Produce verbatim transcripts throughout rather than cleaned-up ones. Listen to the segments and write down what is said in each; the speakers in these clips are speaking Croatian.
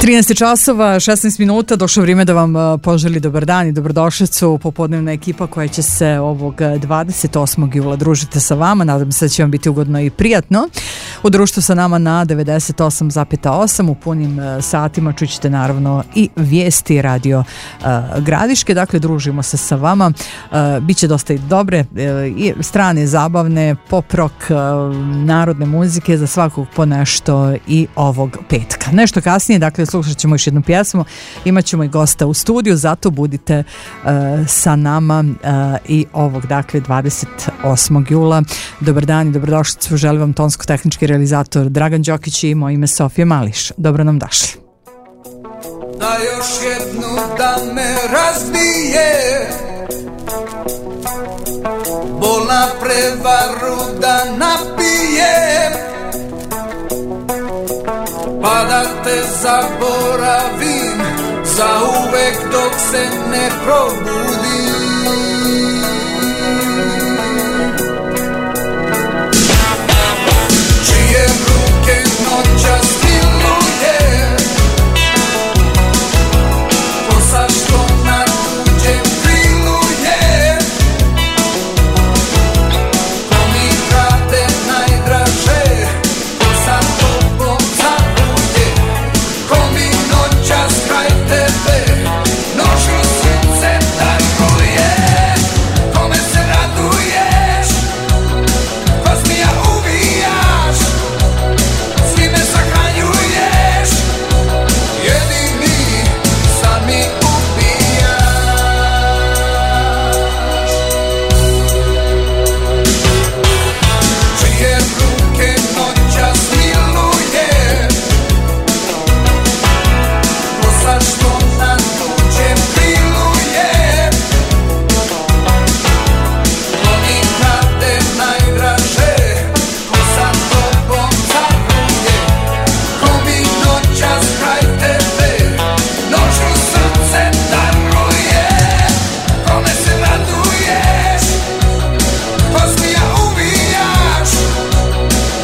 trinaest časova, šesnaest minuta, došlo vrijeme da vam poželi dobar dan i dobrodošlicu. Popodnevna ekipa koja će se ovog dvadeset osmog jula družiti sa vama. Nadam se da će vam biti ugodno i prijatno. U društvu sa nama na devedeset osam zarez osam u punim satima čućete naravno i vijesti Radio uh, Gradiške. Dakle, družimo se sa vama. Uh, Biće dosta i dobre uh, i strane zabavne, pop rock, uh, narodne muzike, za svakog po nešto i ovog petka. Nešto kasnije, dakle, slušat ćemo još jednu pjesmu, imat ćemo i gosta u studiju, zato budite uh, sa nama uh, i ovog, dakle, dvadeset osmog jula. Dobar dan i dobrodošlicu, želim vam tonsko-tehnički realizator Dragan Đokić i moje ime Sofija Mališ. Dobro nam došli. Da još jednu da me razbije, bolna prevaru da napije, pa da te zaboravim za uvek dok se ne probudim. Čije ruke noćas miluje, kosa što na tuđem krilu je, ko mi krade najdraže, ko sa tobom zabuje, ko mi noćas kraj tebe noću srce daruje, kome se raduješ, ko smija ubijaš, s kime sahranjuješ, jedini sami ubijaš. Čije ruke noćas miluje, kosa što na tuđem krilu je, ko mi krade najdraže, ko sa tobom zabuje, ko mi noćas kraj tebe noću srce daruje, kome se raduješ, ko smija ubijaš,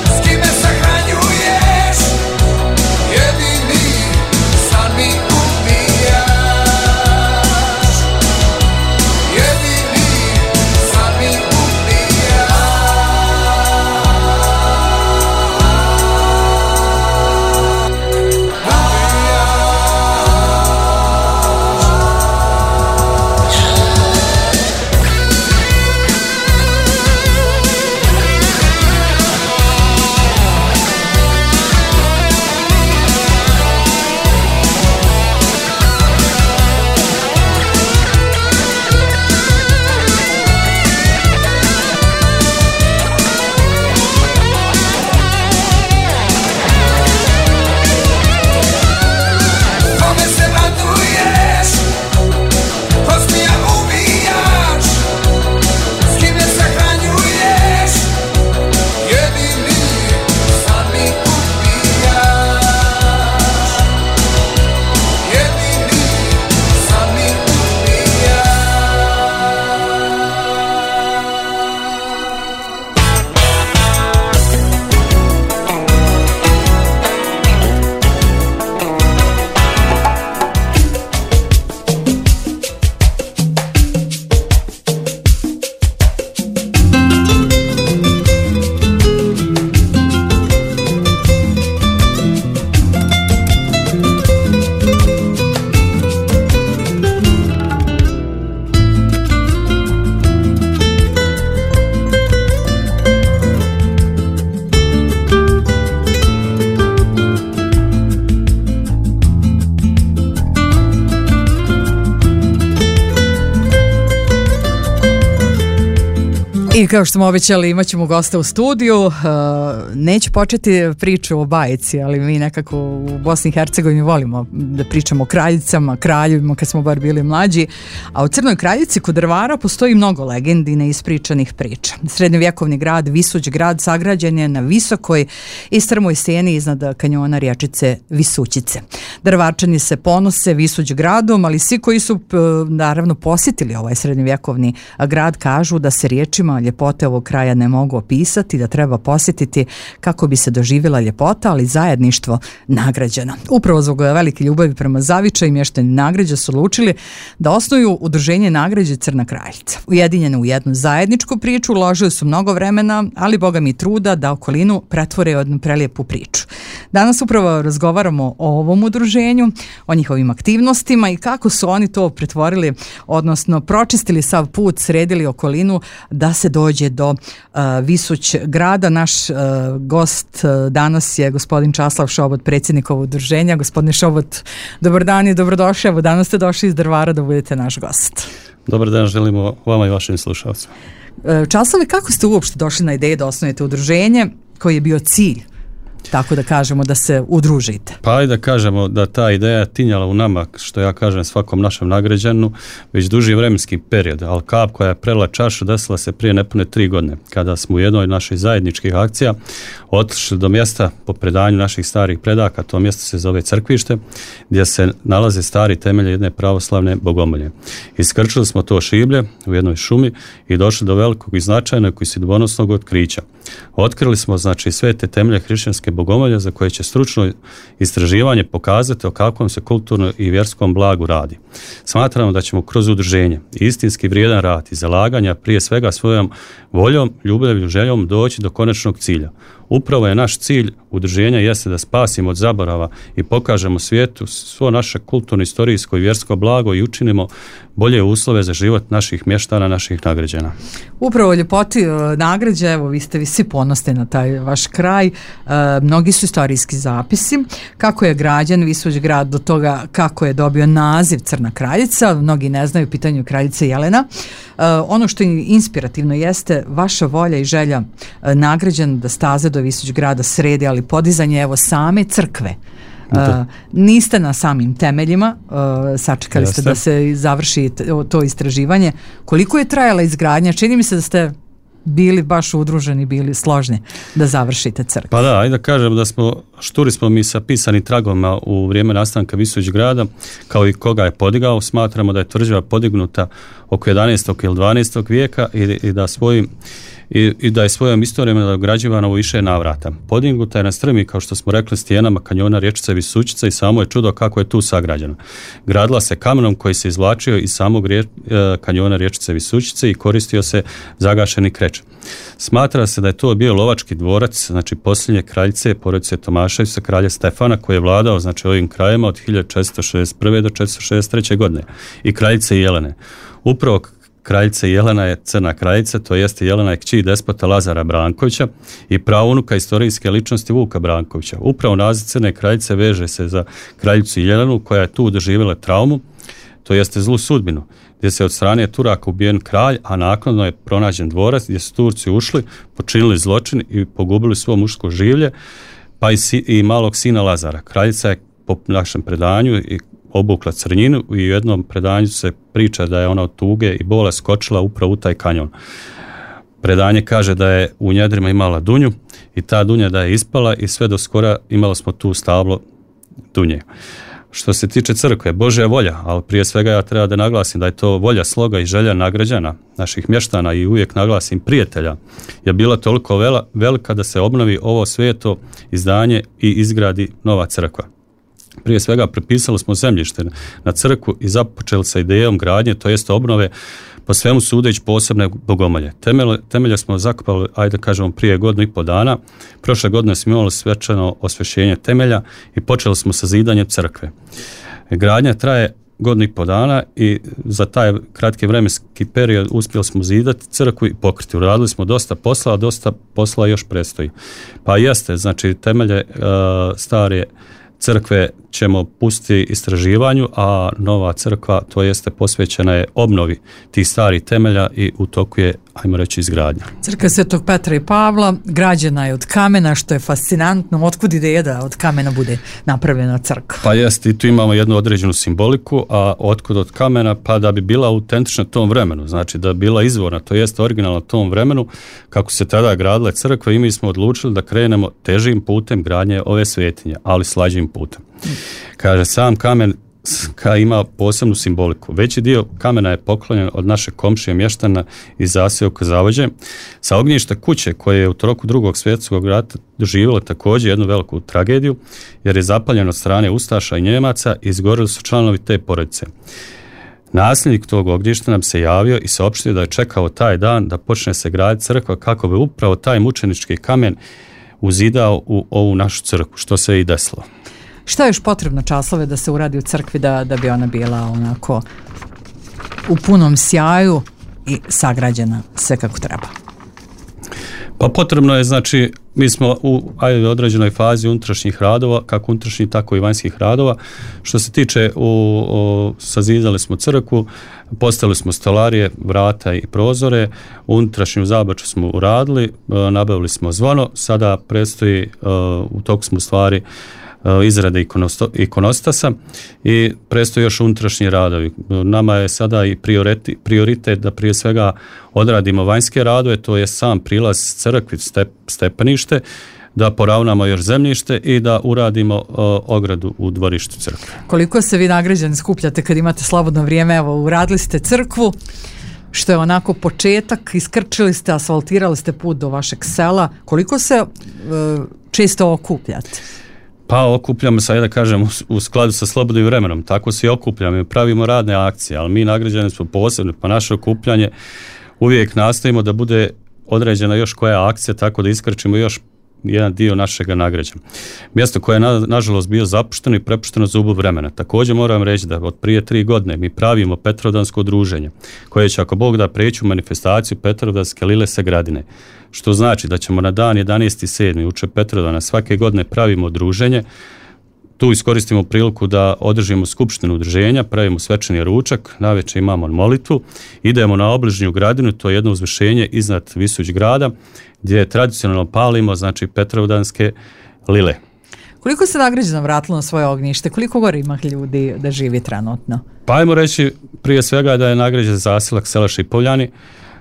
s kime sahranjuješ, jedini sami ubijaš, jedini sami ubijaš. Kome se raduješ, ko smija ubijaš, s kime sahranjuješ, jedini sami ubijaš, jedini sami ubijaš. I kao što smo obećali, imat ćemo gosta u studiju. Uh, neću početi priču o bajci, ali mi nekako u Bosni i Hercegovini volimo da pričamo o kraljicama, kraljevima kad smo bar bili mlađi. A u Crnoj Kraljici kod Drvara postoji mnogo legendi i neispričanih priča. Srednjovjekovni grad, Visuć grad, sagrađen je na visokoj i strmoj steni iznad kanjona rječice Visućice. Drvarčani se ponose Visuć gradom, ali svi koji su naravno posjetili ovaj srednjovjekovni grad kažu da se riječima ljepote ovog kraja ne mogu opisati, da treba posjetiti kako bi se doživjela ljepota, ali zajedništvo nagrađeno. Upravo zbog velike ljubavi prema Zavičaju mještani Nagrađa su odlučili da osnuju udruženje Nagrađe Crna Kraljica. Ujedinjene u jednu zajedničku priču, uložili su mnogo vremena, ali boga mi truda da okolinu pretvore u jednu prelijepu priču. Danas upravo razgovaramo o ovom udruženju, o njihovim aktivnostima i kako su oni to pretvorili, odnosno pročistili sav put, sredili okolinu da se dođe do uh, Visuć grada. Naš uh, gost uh, danas je gospodin Časlav Šobot, predsjednik ovog udruženja. Gospodine Šobot, dobar dan i dobrodošli. Evo, danas ste došli iz Drvara da budete naš gost. Dobar dan, želimo vama i vašim slušalcima. Časlave, kako ste uopšte došli na ideju da osnujete udruženje, koji je bio cilj, tako da kažemo, da se udružite? Pa i da kažemo da ta ideja tinjala u nama, što ja kažem svakom našem nagrađanu, već duži vremenski period, ali kap koja je prela čašu desila se prije nepune tri godine, kada smo u jednoj naših zajedničkih akcija otišli do mjesta po predanju naših starih predaka. To mjesto se zove Crkvište, gdje se nalaze stari temelje jedne pravoslavne bogomolje. Iskrčili smo to šiblje u jednoj šumi i došli do velikog i značajnog i sudbonosnog otkrića. Otkrili smo, znači, sve te temelje hrišćanske bogomolje za koje će stručno istraživanje pokazati o kakvom se kulturno i vjerskom blagu radi. Smatramo da ćemo kroz udruženje istinski vrijedan rad i zalaganja, prije svega svojom voljom, ljubavlju, željom doći do konačnog cilja. Upravo je naš cilj udruženja jeste da spasimo od zaborava i pokažemo svijetu svo naše kulturno, istorijsko i vjersko blago i učinimo bolje uslove za život naših mještana, naših nagrađana. Upravo ljepoti Nagrađa, evo vi ste vi svi ponosni na taj vaš kraj, e, mnogi su istorijski zapisi, kako je građen Visuć grad do toga kako je dobio naziv Crna Kraljica, mnogi ne znaju pitanju kraljice Jelena. E, ono što je inspirativno jeste vaša volja i želja e, Nagrađan da staze do Visuć grada sredi, ali podizanje evo same crkve. Uh, niste na samim temeljima, uh, sačekali Jeste. ste da se završi to istraživanje. Koliko je trajala izgradnja? Čini mi se da ste bili baš udruženi, bili složni da završite crkvu. Pa da, ajde da kažem da smo, šturi smo mi sa pisanim tragoma u vrijeme nastanka Visuć grada, kao i koga je podigao. Smatramo da je tvrđava podignuta oko jedanaestog ili dvanaestog vijeka i, i da svojim I, i da je svojom istorijom nadograđivana u više navrata. Podignuta je na strmi, kao što smo rekli, stijenama kanjona rječice Visućica i samo je čudo kako je tu sagrađeno. Gradila se kamenom koji se izvlačio iz samog rje, kanjona rječice Visućice i koristio se zagašeni kreč. Smatra se da je to bio lovački dvorac, znači posljednje kraljice porodice Tomaševića, kralja Stefana, koji je vladao, znači, ovim krajima od hiljadu četiristo šezdeset prve do četiristo šezdeset treće godine, i kraljice Jelene. Upravo kraljica Jelena je Crna Kraljica, to jeste Jelena je kći despota Lazara Brankovića i praunuka istorijske ličnosti Vuka Brankovića. Upravo naziv Crne Kraljice veže se za kraljicu Jelenu, koja je tu doživjela traumu, to jeste zlu sudbinu, gdje se od strane Turaka ubijen kralj, a naknadno je pronađen dvorac gdje su Turci ušli, počinili zločin i pogubili svo muško življe, pa i, si, i malog sina Lazara. Kraljica je po našem predanju i obukla crnjinu i u jednom predanju se priča da je ona od tuge i bole skočila upravo u taj kanjon. Predanje kaže da je u njedrima imala dunju i ta dunja da je ispala i sve do skora imali smo tu stablo dunje. Što se tiče crkve, Božja volja, ali prije svega ja treba da naglasim da je to volja, sloga i želja nagrađana, naših mještana i uvijek naglasim prijatelja, je bila toliko vela, velika da se obnovi ovo sveto izdanje i izgradi nova crkva. Prije svega prepisali smo zemljište na crkvu i započeli sa idejom gradnje, to jest obnove, po svemu sudeći posebne bogomolje. Temelje, temelje smo zakopali, ajde kažemo, prije godinu i po dana. Prošle godine smo imali svečano osvješćenje temelja i počeli smo sa zidanjem crkve. Gradnja traje godinu i po dana i za taj kratki vremenski period uspjeli smo zidati crkvu i pokriti. Uradili smo dosta posla, a dosta posla još predstoji. Pa jeste, znači temelje uh, stare crkve ćemo pustiti istraživanju, a nova crkva, to jeste, posvećena je obnovi tih starih temelja i u toku je, ajmo reći, izgradnja. Crkva Svetog Petra i Pavla građena je od kamena, što je fascinantno. Otkud ideja da od kamena bude napravljena crkva? Pa jeste, i tu imamo jednu određenu simboliku, a otkud od kamena? Pa da bi bila autentična tom vremenu, znači da bi bila izvorna, to jeste originalna tom vremenu, kako se tada gradile crkve, i mi smo odlučili da krenemo težim putem gradnje ove svetinje, ali slađim putem. Kaže, sam kamen crkva ima posebnu simboliku. Veći dio kamena je poklonjen od naše komšije mještana iz zaseoka Zavođe. Sa ognjišta kuće koje je u toku drugog svjetskog rata doživjelo također jednu veliku tragediju, jer je zapaljeno od strane Ustaša i Njemaca i izgorili su članovi te porodice. Nasljednik tog ognjišta nam se javio i saopštio da je čekao taj dan da počne se graditi crkva kako bi upravo taj mučenički kamen uzidao u ovu našu crkvu, što se i desilo. Šta je još potrebno, Časlave, da se uradi u crkvi da, da bi ona bila onako u punom sjaju i sagrađena sve kako treba? Pa potrebno je, znači, mi smo u ajde, određenoj fazi unutrašnjih radova, kako unutrašnjih, tako i vanjskih radova. Što se tiče, u, u, sazidali smo crkvu, postavili smo stolarije, vrata i prozore, unutrašnju zabaču smo uradili, nabavili smo zvono, sada predstoji, u toku smo stvari izrade ikonostasa i predstoji još unutrašnji radovi. Nama je sada i prioritet, prioritet da prije svega odradimo vanjske radove, to je sam prilaz crkvi, step, stepenište, da poravnamo još zemljište i da uradimo uh, ogradu u dvorištu crkve. Koliko se vi nagrađani skupljate kad imate slobodno vrijeme? Evo, uradili ste crkvu, što je onako početak, iskrčili ste, asfaltirali ste put do vašeg sela. Koliko se uh, često okupljate? Pa okupljamo se, da kažem, u, u skladu sa slobodnim vremenom. Tako se i okupljamo i pravimo radne akcije, ali mi nagrađeni smo posebno, pa naše okupljanje uvijek nastavimo da bude određena još koja akcija, tako da iskrčimo još jedan dio našega nagrađa. Mjesto koje je na, nažalost bio zapušteno i prepušteno zubu vremena. Također moram reći da od prije tri godine mi pravimo Petrovdansko udruženje koje će, ako Bog da, preći u manifestaciju Petrovdanske lile se gradine. Što znači da ćemo na dan jedanaesti sedmi uče Petrovdana svake godine pravimo udruženje. Tu iskoristimo priliku da održimo skupštinu udruženja, pravimo svečani ručak, navečer imamo molitvu, idemo na obližnju gradinu, to je jedno uzvišenje iznad Visuć grada, gdje tradicionalno palimo, znači, Petrovdanske lile. Koliko se nagrađeno vratilo na svoje ognjište? Koliko gore ima ljudi da živi trenutno? Pa ajmo reći prije svega da je nagrađen zaselak sela Šipovljani,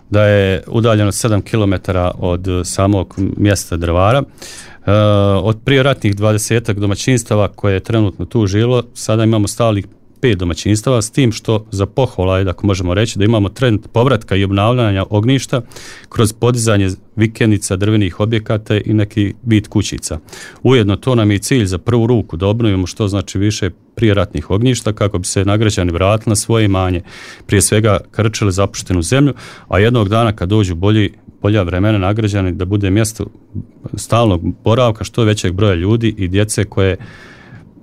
da je udaljeno sedam kilometara od samog mjesta Drvara. Uh, od prije ratnih dvadesetak domaćinstava koje je trenutno tu živjelo, sada imamo stalih pet domaćinstava, s tim što za pohvala je, ako možemo reći, da imamo trend povratka i obnavljanja ognjišta kroz podizanje vikendica, drvenih objekata i neki vid kućica. Ujedno to nam je cilj za prvu ruku, da obnovimo što znači više prijeratnih ognjišta kako bi se nagrađani vratili na svoje imanje, prije svega krčili zapuštenu zemlju, a jednog dana kad dođu bolji bolja vremena nagrađani da bude mjesto stalnog boravka što većeg broja ljudi i djece koje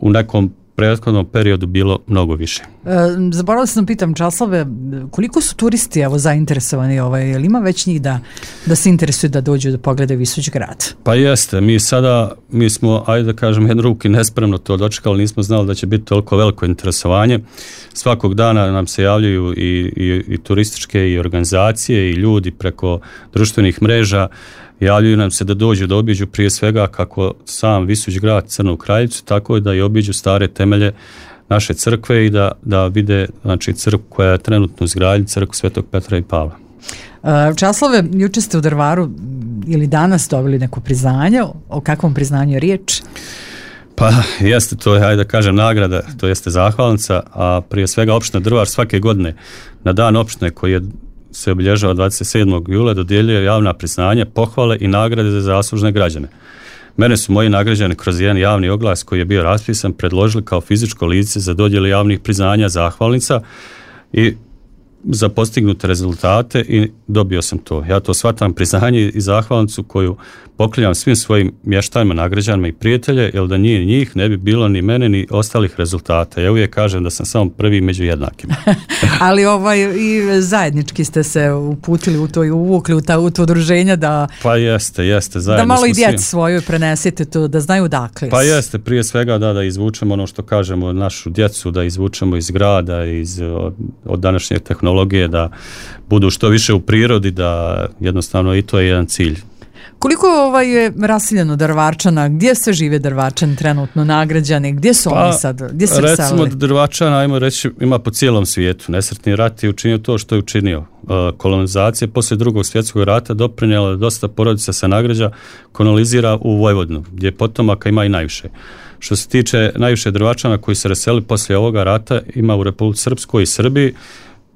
u nekom prethodnom periodu bilo mnogo više. E, zaboravila sam pitam, Časlave, koliko su turisti evo zainteresovani, ovaj, jel ima već njih da, da se interesuju da dođu da pogledaju Visuć grad? Pa jeste, mi sada, mi smo, ajde da kažem, jednu ruku nespremno to dočekali, nismo znali da će biti toliko veliko interesovanje. Svakog dana nam se javljaju i, i, i turističke i organizacije i ljudi preko društvenih mreža, javljaju nam se da dođu da obiđu prije svega kako sam Visuć grad, Crnu Kraljicu, tako i da i obiđu stare temelje naše crkve i da, da vide, znači, crkvu koja je trenutno izgrađena, crkvu Svetog Petra i Pavla. Časlave, juče ste u Drvaru ili danas dobili neko priznanje, o kakvom priznanju je riječ? Pa jeste, to je, ajde da kažem, nagrada, to jeste zahvalnica, a prije svega opština Drvar svake godine na dan opštine koji je se obilježava dvadeset sedmog jula dodjeljuje javna priznanja, pohvale i nagrade za zaslužne građane. Mene su moji nagrađani kroz jedan javni oglas koji je bio raspisan predložili kao fizičko lice za dodjelu javnih priznanja, zahvalnica i za postignute rezultate i dobio sam to. Ja to shvatam priznanje i zahvalnicu koju poklanjam svim svojim mještanima, nagrađanima i prijatelje, jer da nije njih ne bi bilo ni mene ni ostalih rezultata. Ja uvijek kažem da sam samo prvi među jednakima. Ali ovaj, i zajednički ste se uputili u to i uvukli u, ta, u to udruženja da... Pa jeste, jeste. Zajedno da malo i djeci svi... svoju prenesete to, da znaju dakle. Pa jeste, prije svega da, da izvučemo ono što kažemo, našu djecu, da izvučemo iz grada, iz, od, od današnje tehnologije, da budu što više u prirodi, da jednostavno i to je jedan cilj. Koliko ovaj je rasiljeno Drvarčana, gdje se žive Drvarčani trenutno nagrađani, gdje su pa, oni sad, gdje su recimo selili? Recimo Drvačana, ajmo reći, ima po cijelom svijetu. Nesretni rat je učinio to što je učinio. Kolonizacija poslije drugog svjetskog rata doprinijela da dosta porodica se nagrađa kolonizira u Vojvodinu, gdje potomaka ima i najviše. Što se tiče najviše Drvačana koji se raseli poslije ovoga rata, ima u Republici Srpskoj i Srbiji,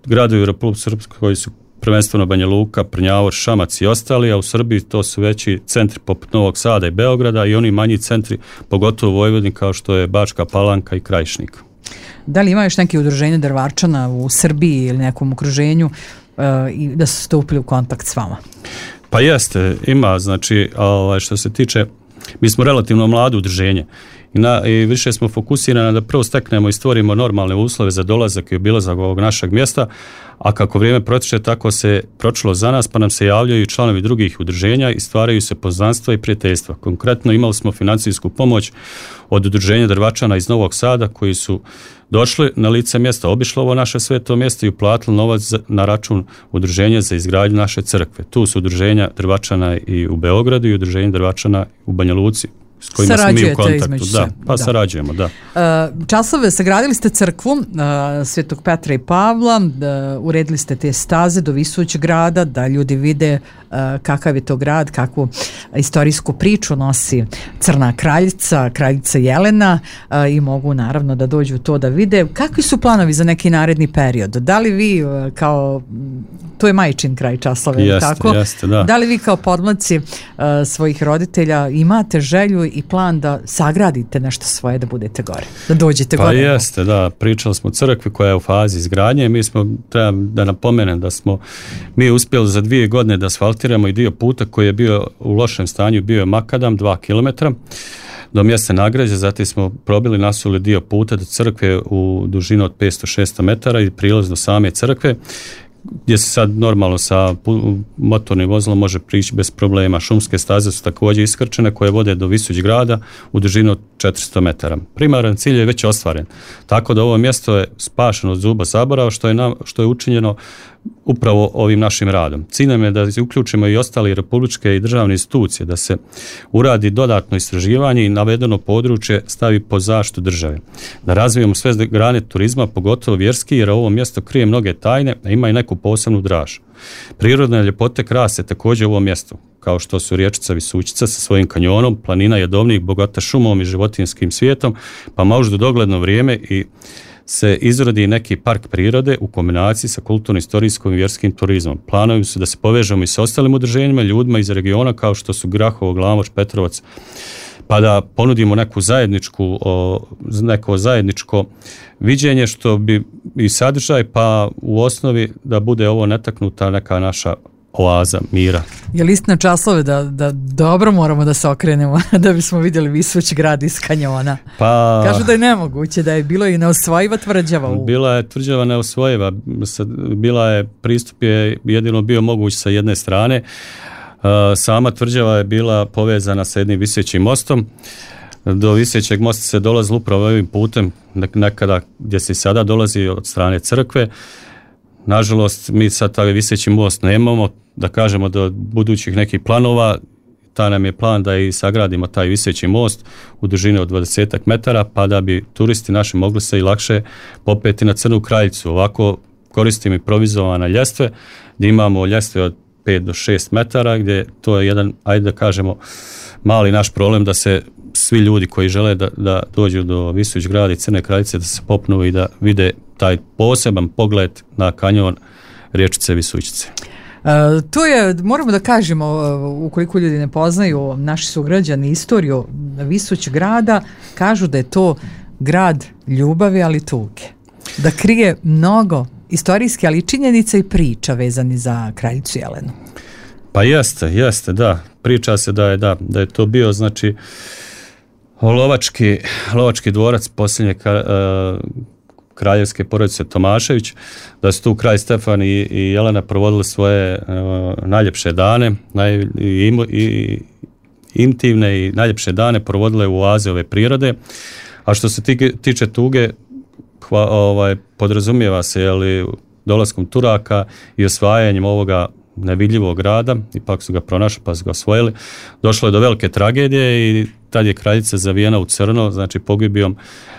gradovi u Republici Srpskoj koji su prvenstveno Banja Luka, Prnjavor, Šamac i ostali, a u Srbiji to su veći centri poput Novog Sada i Beograda i oni manji centri, pogotovo u Vojvodini kao što je Bačka Palanka i Krajišnik. Da li ima još neke udruženje Drvačana u Srbiji ili nekom okruženju uh, i da su stupili u kontakt s vama? Pa jeste, ima, znači ovaj, što se tiče, mi smo relativno mlado udruženje i, na, i više smo fokusirani da prvo steknemo i stvorimo normalne uslove za dolazak i obilazak ovog našeg mjesta, a kako vrijeme protiče tako se pročilo za nas, pa nam se javljaju članovi drugih udruženja i stvaraju se poznanstva i prijateljstva. Konkretno imali smo financijsku pomoć od udruženja Drvačana iz Novog Sada koji su došli na lice mjesta, obišli ovo naše sveto mjesto i uplatili novac na račun udruženja za izgradnju naše crkve. Tu su udruženja Drvačana i u Beogradu i udruženje Drvačana u Banja Luci, s kojima smo mi u kontaktu. Da, pa da. Sarađujemo, da. Uh, Časove, sagradili ste crkvu uh, Svetog Petra i Pavla, uh, uredili ste te staze do Visuć grada, da ljudi vide uh, kakav je to grad, kakvu istorijsku priču nosi Crna kraljica, kraljica Jelena uh, i mogu naravno da dođu to da vide. Kakvi su planovi za neki naredni period? Da li vi uh, kao, to je majčin kraj Časlave, jeste, tako? Jeste, da. Da li vi kao podmlaci uh, svojih roditelja imate želju i plan da sagradite nešto svoje, da budete gore, da dođete pa gore? Pa jeste, da, pričali smo o crkvi koja je u fazi izgradnje, mi smo, trebam da napomenem da smo mi uspjeli za dvije godine da asfaltiramo i dio puta koji je bio u lošem stanju, bio je makadam, dva kilometra do mjesta nagrađe, zatim smo probili, nasuli dio puta do crkve u dužinu od petsto do šesto metara i prilaz do same crkve, gdje se sad normalno sa motornim vozilom može prići bez problema. Šumske staze su također iskrčene koje vode do Visuć grada u dužinu od četiristo metara. Primaran cilj je već ostvaren. Tako da ovo mjesto je spašeno od zuba zaborava što je, nam, što je učinjeno upravo ovim našim radom. Cilj nam je da uključimo i ostale republičke i državne institucije, da se uradi dodatno istraživanje i navedeno područje stavi pod zaštitu države. Da razvijemo sve grane turizma, pogotovo vjerski, jer ovo mjesto krije mnoge tajne, a ima i neku posebnu draž. Prirodne ljepote krase također u ovom mjestu, kao što su riječica Visućica sa svojim kanjonom, planina Jedovnik, bogata šumom i životinjskim svijetom, pa možda dogledno vrijeme i se izrodi neki park prirode u kombinaciji sa kulturno-istorijskim i vjerskim turizmom. Planovi su da se povežemo i sa ostalim udruženjima, ljudima iz regiona kao što su Grahovo, Glamoč, Petrovac, pa da ponudimo neku zajedničku, o, neko zajedničko viđenje što bi i sadržaj, pa u osnovi da bude ovo netaknuta neka naša oaza mira. Je li istina Časlave da, da dobro moramo da se okrenemo da bismo vidjeli Visuć grad iz kanjona? Pa, kažu da je nemoguće, da je bilo i neosvojiva tvrđava. U... Bila je tvrđava neosvojiva, bila je, pristup je jedino bio moguć sa jedne strane. Sama tvrđava je bila povezana sa jednim visećim mostom. Do visećeg mosta se dolazilo upravo ovim putem, nekada gdje se sada dolazi od strane crkve. Nažalost, mi sad taj viseći most nemamo, da kažemo do budućih nekih planova, ta nam je plan da i sagradimo taj viseći most u dužini od dvadeset metara, pa da bi turisti naši mogli se i lakše popeti na Crnu kraljicu. Ovako koristimo improvizovane ljestve, gdje imamo ljestve od pet do šest metara, gdje to je jedan, ajde da kažemo, mali naš problem da se svi ljudi koji žele da, da dođu do Visuć grada i Crne kraljice da se popnu i da vide taj poseban pogled na kanjon riječice Visućice. Uh, to je, moramo da kažemo, uh, ukoliko ljudi ne poznaju naši sugrađani istoriju Visuć grada, kažu da je to grad ljubavi, ali tuge. Da krije mnogo istorijske, ali i činjenica i priča vezani za kraljicu Jelenu. Pa jeste, jeste, da. Priča se da je, da, da je to bio, znači, lovački, lovački dvorac posljednje uh, kraljevske porodice Tomašević, da su tu kralj Stefan i, i Jelena provodili svoje uh, najljepše dane, naj, i, i, intimne i najljepše dane provodile u oaze ove prirode. A što se tiče tuge, hva, ovaj, podrazumijeva se, jeli, dolaskom Turaka i osvajanjem ovoga nevidljivog grada, ipak su ga pronašli pa su ga osvojili, došlo je do velike tragedije i tad je kraljica zavijena u crno, znači pogibijom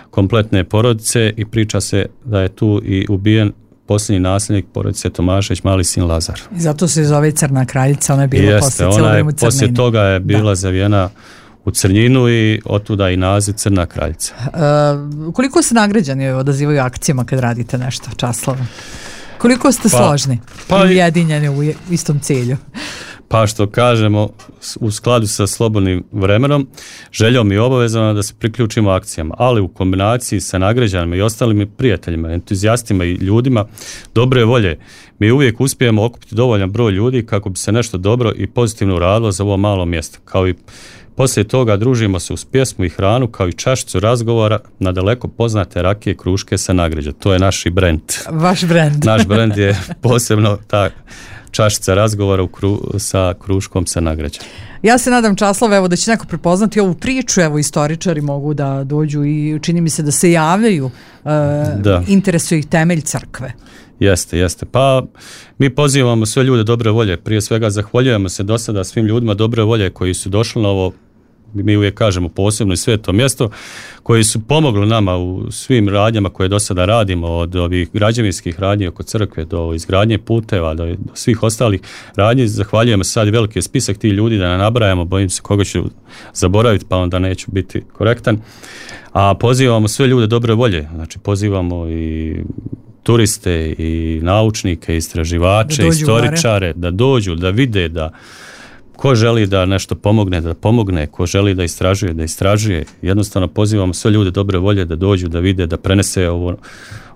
kompletne porodice i priča se da je tu i ubijen posljednji nasljednik porodice Tomašević, mali sin Lazar. I zato se zove Crna kraljica, ona je bila Jeste, poslije cijelo vrijeme u crnini. Poslije toga je bila da. zavijena u Crnjinu i otuda i naziv Crna kraljica. Uh, koliko se nagrađani odazivaju akcijama kad radite nešto, Časlava? Koliko ste Pa- složni pa i i- ujedinjeni u je- istom cilju? Pa što kažemo, s- u skladu sa slobodnim vremenom, željom i obavezama da se priključimo akcijama, ali u kombinaciji sa nagrađanima i ostalim prijateljima, entuzijastima i ljudima dobre volje, mi uvijek uspijemo okupiti dovoljan broj ljudi kako bi se nešto dobro i pozitivno uradilo za ovo malo mjesto. Kao i poslije toga družimo se uz pjesmu i hranu, kao i čašicu razgovora na daleko poznate rakije kruške sa nagrađa. To je naš i brend. Vaš brend. Naš brend je posebno ta čašica razgovora u kru, sa kruškom sa nagrađa. Ja se nadam, Časlava, evo da će neko prepoznati ovu priču, evo istoričari mogu da dođu i čini mi se da se javljaju, uh, Da. interesuje ih temelj crkve. Jeste, jeste. Pa mi pozivamo sve ljude dobre volje. Prije svega zahvaljujemo se do sada svim ljudima dobre volje koji su došli na ovo, mi uvijek kažemo posebno i sveto mjesto, koji su pomogli nama u svim radnjama koje do sada radimo, od ovih građevinskih radnji oko crkve do izgradnje puteva, do, do svih ostalih radnji. Zahvaljujemo se, sad je veliki spisak tih ljudi da ne nabrajamo, bojim se koga ću zaboraviti pa onda neću biti korektan. A pozivamo sve ljude dobre volje, znači pozivamo i turiste i naučnike, istraživače, Da dođu istoričare, da dođu, da vide, da ko želi da nešto pomogne, da pomogne, ko želi da istražuje, da istražuje. Jednostavno pozivamo sve ljude dobre volje da dođu, da vide, da prenese ovo,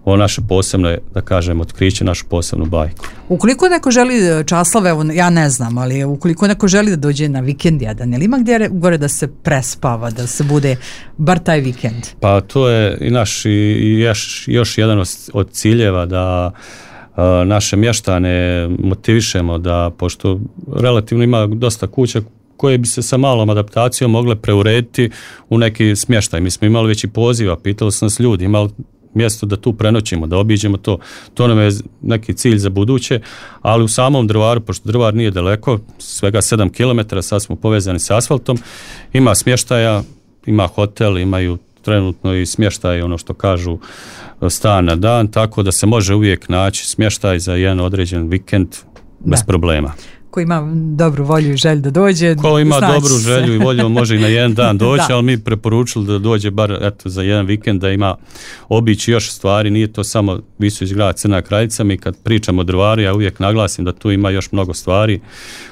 ovo naše posebno, da kažem, otkriće, našu posebnu bajku. Ukoliko neko želi, Časlave, evo, ja ne znam, ali ukoliko neko želi da dođe na vikend jedan, ili ima gdje gore da se prespava, da se bude bar taj vikend? Pa to je i naš i i još, još jedan od, od ciljeva da a, naše mještane motivišemo da, pošto relativno ima dosta kuća koje bi se sa malom adaptacijom mogle preurediti u neki smještaj. Mi smo imali već i poziva, pitali su nas ljudi, imali mjesto da tu prenoćimo, da obiđemo to. To nam je neki cilj za buduće, ali u samom Drvaru, pošto Drvar nije daleko, svega sedam kilometara, sad smo povezani s asfaltom, ima smještaja, ima hotel, imaju trenutno i smještaj, ono što kažu, stan na dan, tako da se može uvijek naći smještaj za jedan određen vikend bez Da. problema. Ko ima dobru volju i želju da dođe, Ko ima snaći dobru se. želju i volju može i na jedan dan doći, Da. ali mi preporučili da dođe bar eto, za jedan vikend, da ima obići još stvari, nije to samo Visović grad Crna kraljica. Mi kad pričamo o Drvaru, ja uvijek naglasim da tu ima još mnogo stvari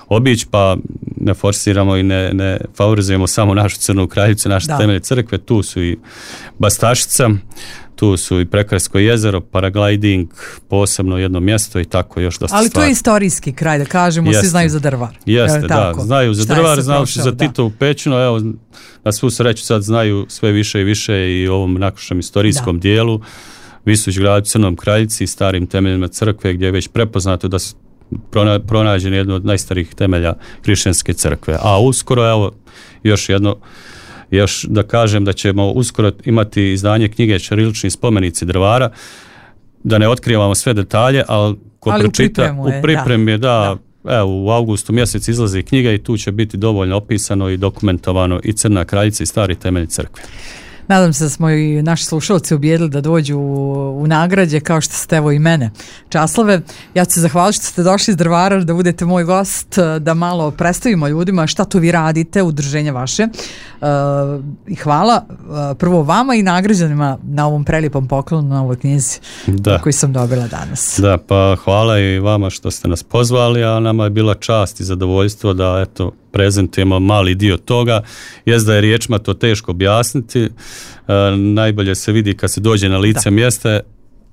obići, pa ne forsiramo i ne, ne favorizujemo samo našu Crnu kraljicu, naše Da. temelje crkve, tu su i Bastašica, tu su i Prekrajsko jezero, paragliding, posebno jedno mjesto i tako još dosta Ali to stvari. je istorijski kraj, da kažemo, Jeste. svi znaju za Drvar. Jeste, Jel da, tako? znaju za Šta je Drvar, se znaju se prošao, za da. Titovu pećinu, evo, na svu sreću sad znaju sve više i više i o ovom našem istorijskom Da. dijelu, Visović gradu Crnom kraljici i starim temeljima crkve, gdje je već prepoznato da su prona, pronađeni jedno od najstarijih temelja hrišćanske crkve. A uskoro, evo, još jedno, još da kažem da ćemo uskoro imati izdanje knjige Ćirilični spomenici Drvara, da ne otkrivamo sve detalje, ali ko Ali u pročita, pripremu je, u pripremi je, da, da. evo, u avgustu mjesec izlazi knjiga i tu će biti dovoljno opisano i dokumentovano i Crna kraljica i stari temelj crkve. Nadam se da smo i naši slušalci ubijedili da dođu u, u nagrađe, kao što ste evo i mene. Časlave, ja ću se zahvaliti što ste došli iz Drvara, da budete moj gost, da malo predstavimo ljudima šta to vi radite, udruženje vaše. E, I hvala e, prvo vama i nagrađanima na ovom prelijepom poklonu, na ovoj knjizi Da. koju sam dobila danas. Da, pa hvala i vama što ste nas pozvali, a nama je bila čast i zadovoljstvo da eto prezentujemo mali dio toga. Jest da je riječima to teško objasniti, e, najbolje se vidi kad se dođe na lice Da. mjesta,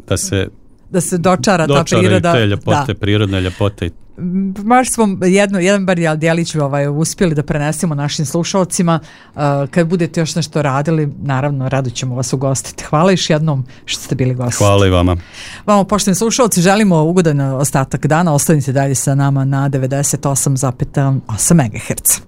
da se Da se dočara, ta dočaraju priroda. te ljepote, Da. prirodne ljepote. Baš smo jedno, jedan bar djelić ovaj, uspjeli da prenesemo našim slušalcima. Uh, kad budete još nešto radili, naravno, rado ćemo vas ugostiti. Hvala još jednom što ste bili gosti. Hvala i vama. Vama, poštovani slušalci, želimo ugodan ostatak dana. Ostanite dalje sa nama na devedeset osam zarez osam megaherca.